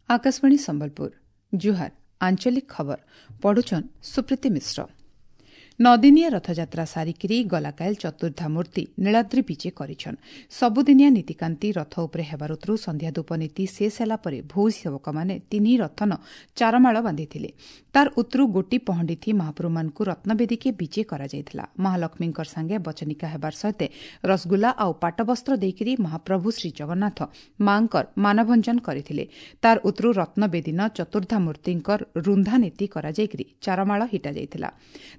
ଆକାଶବାଣୀ ସମ୍ବଲପୁର, ଜୁହାର। ଆଞ୍ଚଳିକ ଖବର ପଢୁଛନ୍ ସୁପ୍ରୀତି ମିଶ୍ର। ନଦିନିଆ ରଥଯାତ୍ରା ସାରିକିରି ଗଲାକାଏଲ୍ ଚତୁର୍ଦ୍ଧାମୂର୍ତ୍ତି ନୀଳାଦ୍ରି ବିଜେ କରିଛନ୍। ସବୁଦିନିଆ ନୀତିକାନ୍ତି ରଥ ଉପରେ ହେବାରୁତ୍ରୁ ସନ୍ଧ୍ୟାଧୂପ ନୀତି ଶେଷ ହେଲା ପରେ ଭୋଉ ସେବକମାନେ ତିନି ରଥନ ଚାରମାଳ ବାନ୍ଧିଥିଲେ। ତାର ଉତ୍ରୁ ଗୋଟି ପହଣ୍ଡିଥି ମହାପ୍ରଭୁମାନଙ୍କୁ ରତ୍ନବେଦୀକେ ବିଜେ କରାଯାଇଥିଲା। ମହାଲକ୍ଷ୍ମୀଙ୍କର ସାଙ୍ଗେ ବଚନିକା ହେବାର ସହିତ ରସଗୁଲା ଆଉ ପାଟବସ୍ତ୍ର ଦେଇକରି ମହାପ୍ରଭୁ ଶ୍ରୀଜଗନ୍ନାଥ ମାଙ୍କର ମାନଭଞ୍ଜନ କରିଥିଲେ। ତାର ଉତ୍ରୁ ରତ୍ନବେଦୀନ ଚତୁର୍ଦ୍ଧାମୂର୍ତ୍ତିଙ୍କର ରୁନ୍ଧା ନୀତି କରାଯାଇକରି ଚାରମାଳ ହିଟାଯାଇଥିଲା।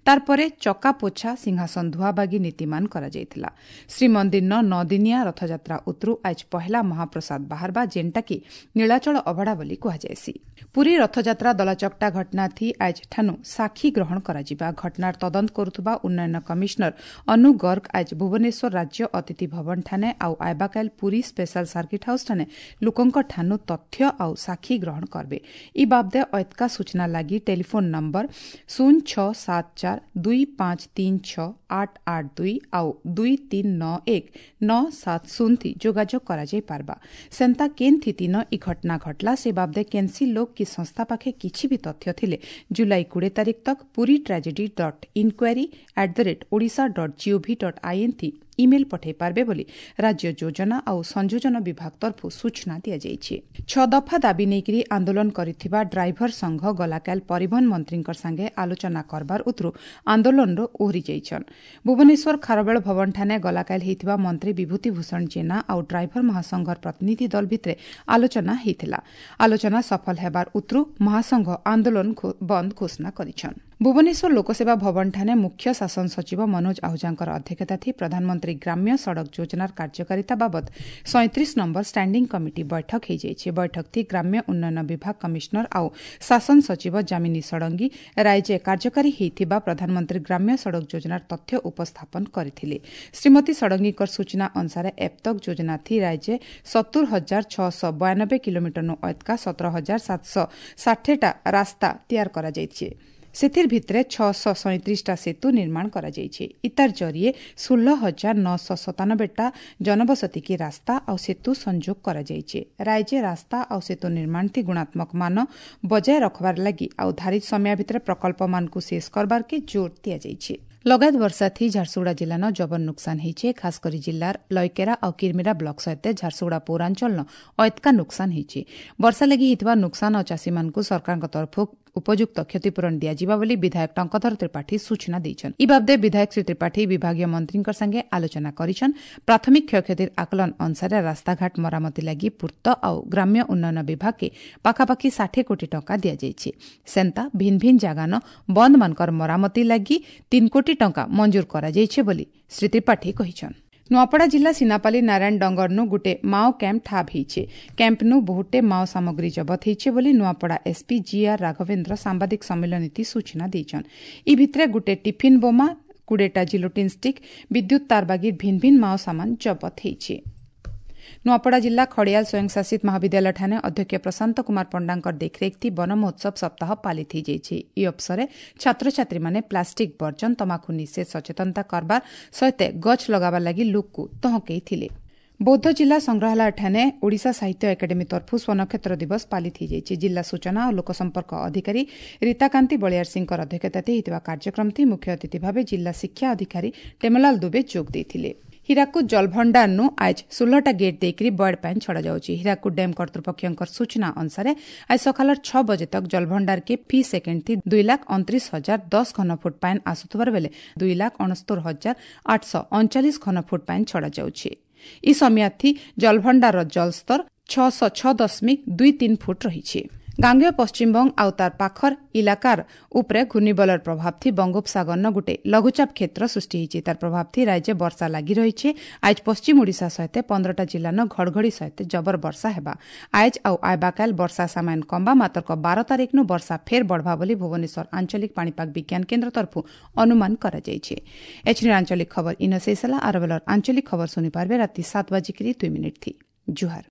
ତାରପରେ ଚକା ପୋଛା, ସିଂହାସନ ଧୁଆବାଗି ନୀତିମାନ କରାଯାଇଥିଲା। ଶ୍ରୀମନ୍ଦିରନ ନଅଦିନିଆ ରଥଯାତ୍ରା ଉତ୍ରୁ ଆଜ୍ ପହେଲା ମହାପ୍ରସାଦ ବାହାରବା, ଯେନ୍ଟାକି ନୀଳାଚଳ ଅଭଡ଼ା ବୋଲି କୁହାଯାଏସି। ପୁରୀ ରଥଯାତ୍ରା ଦଳାଚକଟା ଘଟଣାଥି ଆଜ୍ ଠାନୁ ସାକ୍ଷୀ ଗ୍ରହଣ କରାଯିବା। ଘଟଣାର ତଦନ୍ତ କରୁଥିବା ଉନ୍ନୟନ କମିଶନର ଅନୁ ଗର୍ଗ ଆଜ୍ ଭୁବନେଶ୍ୱର ରାଜ୍ୟ ଅତିଥି ଭବନଠାନେ ଆଉ ଆଇବାକାଇଲ ପୁରୀ ସ୍ପେଶାଲ ସାର୍କିଟ୍ ହାଉସ୍ଠାନେ ଲୋକଙ୍କ ଠାନୁ ତଥ୍ୟ ଆଉ ସାକ୍ଷୀ ଗ୍ରହଣ କରବେ। ଇ ବାବଦେ ଅଏତକା ସୂଚନା ଲାଗି ଟେଲିଫୋନ୍ ନମ୍ବର 0 6 7 4 2 5 3 6 8 8 2 ଆଉ 2 3 9 1 9 7 0 ଥି ଯୋଗାଯୋଗ କରାଯାଇ ପାରବା। ସେନ୍ତା କେନ୍ ଥିତିନ ଇ ଘଟଣା ଘଟଲା, ସେ ବାବଦେ କେନ୍ସି ଲୋକ କି ସଂସ୍ଥା ପାଖେ କିଛି ବି ତଥ୍ୟ ଥିଲେ ଜୁଲାଇ 20 ତାରିଖ ତକ puri tragedy.inquiry@odisha.gov.in ଥି ଇମେଲ୍ ପଠାଇ ପାରବେ ବୋଲି ରାଜ୍ୟ ଯୋଜନା ଆଉ ସଂଯୋଜନ ବିଭାଗ ତରଫରୁ ସୂଚନା ଦିଆଯାଇଛି। ଛଅ ଦଫା ଦାବି ନେଇକରି ଆନ୍ଦୋଳନ କରିଥିବା ଡ୍ରାଇଭର ସଂଘ ଗଲାକାଲ ପରିବହନ ମନ୍ତ୍ରୀଙ୍କ ସାଙ୍ଗେ ଆଲୋଚନା କରବାର ଉତ୍ରୁ ଆନ୍ଦୋଳନରୁ ଓହରି ଯାଇଛନ୍। ଭୁବନେଶ୍ୱର ଖାରବେଳ ଭବନଠାନେ ଗଲାକାଲ ହେଇଥିବା ମନ୍ତ୍ରୀ ବିଭୂତି ଭୂଷଣ ଜେନା ଆଉ ଡ୍ରାଇଭର ମହାସଂଘର ପ୍ରତିନିଧି ଦଳ ଭିତରେ ଆଲୋଚନା ହେଇଥିଲା। ଆଲୋଚନା ସଫଳ ହେବାର ଉତ୍ରୁ ମହାସଂଘ ଆନ୍ଦୋଳନ ବନ୍ଦ ଘୋଷଣା କରିଛନ୍। ଭୁବନେଶ୍ୱର ଲୋକସେବା ଭବନଠାନେ ମୁଖ୍ୟ ଶାସନ ସଚିବ ମନୋଜ ଆହୁଜାଙ୍କର ଅଧ୍ୟକ୍ଷତା ଥି ପ୍ରଧାନମନ୍ତ୍ରୀ ଗ୍ରାମ୍ୟ ସଡ଼କ ଯୋଜନାର କାର୍ଯ୍ୟକାରିତା ବାବଦ 37 ନମ୍ବର ଷ୍ଟାଣ୍ଡିଂ କମିଟି ବୈଠକ ହୋଇଯାଇଛି। ବୈଠକ ଥି ଗ୍ରାମ୍ୟ ଉନ୍ନୟନ ବିଭାଗ କମିଶନର ଆଉ ଶାସନ ସଚିବ ଯାମିନୀ ଷଡ଼ଙ୍ଗୀ ରାଜ୍ୟ କାର୍ଯ୍ୟକାରୀ ହୋଇଥିବା ପ୍ରଧାନମନ୍ତ୍ରୀ ଗ୍ରାମ୍ୟ ସଡ଼କ ଯୋଜନାର ତଥ୍ୟ ଉପସ୍ଥାପନ କରିଥିଲେ। ଶ୍ରୀମତୀ ଷଡ଼ଙ୍ଗୀଙ୍କର ସୂଚନା ଅନୁସାରେ ଏପ୍ତକ ଯୋଜନା ଥି ରାଜ୍ୟ 70,692 କିଲୋମିଟରନୁ ଅଏତକା 17,760ଟା ରାସ୍ତା ତିଆର କରାଯାଇଛି। ସେଥିର୍ ଭିତରେ 637ଟା ସେତୁ ନିର୍ମାଣ କରାଯାଇଛି। ଇତାର ଜରିଏ 16,997ଟା ଜନବସତିକି ରାସ୍ତା ଆଉ ସେତୁ ସଂଯୋଗ କରାଯାଇଛି। ରାଜ୍ୟ ରାସ୍ତା ଆଉ ସେତୁ ନିର୍ମାଣ ଥି ଗୁଣାତ୍ମକ ମାନ ବଜାୟ ରଖବାର ଲାଗି ଆଉ ଧାରିତ ସମୟ ଭିତରେ ପ୍ରକଳ୍ପମାନଙ୍କୁ ଶେଷ କରବାରକେ ଜୋର ଦିଆଯାଇଛି। ଲଗାତ ବର୍ଷା ଥି ଝାରସୁଗୁଡ଼ା ଜିଲ୍ଲାନ ଜବର ନୁକସାନ ହେଇଛେ। ଖାସ କରି ଜିଲ୍ଲାର ଲଇକେରା ଆଉ କିରମିରା ବ୍ଲକ ସହିତ ଝାରସୁଗୁଡ଼ା ପୌରାଞ୍ଚଳନ ଅଏତକା ନୁକସାନ ହେଇଛି। ବର୍ଷା ଲାଗି ହେଇଥିବା ନୁକସାନ ଆଉ ଚାଷୀମାନଙ୍କୁ ସରକାରଙ୍କ ତରଫରୁ ଉପଯୁକ୍ତ କ୍ଷତିପୂରଣ ଦିଆଯିବା ବୋଲି ବିଧାୟକ ଟଙ୍କଧର ତ୍ରିପାଠୀ ସୂଚନା ଦେଇଛନ୍। ଇ ବାବଦେ ବିଧାୟକ ଶ୍ରୀ ତ୍ରିପାଠୀ ବିଭାଗୀୟ ମନ୍ତ୍ରୀଙ୍କ ସାଙ୍ଗେ ଆଲୋଚନା କରିଛନ୍। ପ୍ରାଥମିକ କ୍ଷୟକ୍ଷତିର ଆକଳନ ଅନୁସାରେ ରାସ୍ତାଘାଟ ମରାମତି ଲାଗି ପୂର୍ତ୍ତ ଆଉ ଗ୍ରାମ୍ୟ ଉନ୍ନୟନ ବିଭାଗକେ ପାଖାପାଖି 60 କୋଟି ଟଙ୍କା ଦିଆଯାଇଛି। ସେନ୍ତା ଭିନ୍ ଭିନ୍ ଜାଗାନ ବନ୍ଦମାନଙ୍କର ମରାମତି ଲାଗି 3 କୋଟି ଟଙ୍କା ମଞ୍ଜୁର କରାଯାଇଛି ବୋଲି ଶ୍ରୀ ତ୍ରିପାଠୀ କହିଛନ୍। ନୂଆପଡ଼ା ଜିଲ୍ଲା ସିନାପାଲି ନାରାୟଣ ଡଙ୍ଗରନୁ ଗୁଟେ ମାଓ କ୍ୟାମ୍ପ ଠାବ ହେଇଛେ। କ୍ୟାମ୍ପନୁ ବହୁଟେ ମାଓ ସାମଗ୍ରୀ ଜବତ ହେଇଛେ ବୋଲି ନୂଆପଡ଼ା ଏସ୍ପି ଜିଆର୍ ରାଘବେନ୍ଦ୍ର ସାମ୍ବାଦିକ ସମ୍ମିଳନୀତି ସୂଚନା ଦେଇଛନ୍। ଇ ଭିତରେ ଗୁଟେ ଟିଫିନ୍ ବୋମା, 20ଟା ଜିଲୋଟିନ୍ ଷ୍ଟିକ୍, ବିଦ୍ୟୁତ୍ ତାର ବାଗି ଭିନ୍ ଭିନ୍ ମାଓ ସାମାନ ଜବତ ହେଇଛି। ନୂଆପଡ଼ା ଜିଲ୍ଲା ଖଡ଼ିଆଲ ସ୍ୱୟଂଶାସିତ ମହାବିଦ୍ୟାଳୟଠାନେ ଅଧ୍ୟକ୍ଷ ପ୍ରଶାନ୍ତ କୁମାର ପଣ୍ଡାଙ୍କର ଦେଖରେଖ ବନ ମହୋତ୍ସବ ସପ୍ତାହ ପାଳିତ ହୋଇଯାଇଛି। ଏହି ଅବସରରେ ଛାତ୍ରଛାତ୍ରୀମାନେ ପ୍ଲାଷ୍ଟିକ୍ ବର୍ଜନ, ତମାଖୁ ନିଷେଧ ସଚେତନତା କରବାର ସହିତ ଗଛ ଲଗାବାର ଲାଗି ଲୋକକୁ ତହକେଇଥିଲେ। ବୌଦ୍ଧ ଜିଲ୍ଲା ସଂଗ୍ରହାଳୟଠାନେ ଓଡ଼ିଶା ସାହିତ୍ୟ ଏକାଡେମୀ ତରଫରୁ ସ୍ୱନକ୍ଷତ୍ର ଦିବସ ପାଳିତ ହୋଇଯାଇଛି। ଜିଲ୍ଲା ସୂଚନା ଓ ଲୋକସମ୍ପର୍କ ଅଧିକାରୀ ରୀତାକାନ୍ତି ବଳିୟାର ସିଂଙ୍କର ଅଧ୍ୟକ୍ଷତାରେ ହୋଇଥିବା କାର୍ଯ୍ୟକ୍ରମଟି ମୁଖ୍ୟ ଅତିଥି ଭାବେ ଜିଲ୍ଲା ଶିକ୍ଷା ଅଧିକାରୀ ଟେମଲାଲ ଦୁବେ ଯୋଗ ଦେଇଥିଲେ। ହୀରାକୁଦ ଜଳଭଣ୍ଡାରନୁ ଆଜ୍ 16ଟା ଗେଟ୍ ଦେଇକରି ବଏଡ୍ ପାଣି ଛଡ଼ାଯାଉଛି। ହୀରାକୁଦ ଡ୍ୟାମ୍ କର୍ତ୍ତୃପକ୍ଷଙ୍କର ସୂଚନା ଅନୁସାରେ ଆଜି ସକାଳର 6 ବଜେ ତକ ଜଳଭଣ୍ଡାରକେ ଫି ସେକେଣ୍ଡ ଥି 2,29,010 ଘନଫୁଟ ପାଣି ଆସୁଥିବାର ବେଲେ 2,69,839 ଘନଫୁଟ ପାଣି ଛଡ଼ାଯାଉଛି। ଇ ସମୟାଥି ଜଳଭଣ୍ଡାରର ଜଳସ୍ତର 606.23 ଫୁଟ ରହିଛି। ଗାଙ୍ଗେୟ ପଶ୍ଚିମବଙ୍ଗ ଆଉ ତାର ପାଖର ଇଲାକାର ଉପରେ ଘୂର୍ଣ୍ଣିବଳର ପ୍ରଭାବ ଥି ବଙ୍ଗୋପସାଗରନ ଗୁଟେ ଲଘୁଚାପ କ୍ଷେତ୍ର ସୃଷ୍ଟି ହେଇଛି। ତାର ପ୍ରଭାବ ଥି ରାଜ୍ୟ ବର୍ଷା ଲାଗି ରହିଛି। ଆଜ ପଶ୍ଚିମ ଓଡ଼ିଶା ସହିତ 15ଟା ଜିଲ୍ଲାନ ଘଡ଼ଘଡ଼ି ସହିତ ଜବର ବର୍ଷା ହେବା। ଆଜ ଆଉ ଆଇବାକାଲ ବର୍ଷା ସାମାନ୍ୟ କମ୍ବା, ମାତ୍ର 12 ତାରିଖନୁ ବର୍ଷା ଫେର ବଢ଼ବା ବୋଲି ଭୁବନେଶ୍ୱର ଆଞ୍ଚଳିକ ପାଣିପାଗ ବିଜ୍ଞାନ କେନ୍ଦ୍ର ତରଫରୁ ଅନୁମାନ କରାଯାଇଛି। ଏଛିନି ଆଞ୍ଚଳିକ ଖବର ଇନ ଶେଷ ହେଲା। ଆର ବେଲର ଆଞ୍ଚଳିକ ଖବର ଶୁଣିପାରିବେ ରାତି 7:02 ଥି। ଜୁହାର।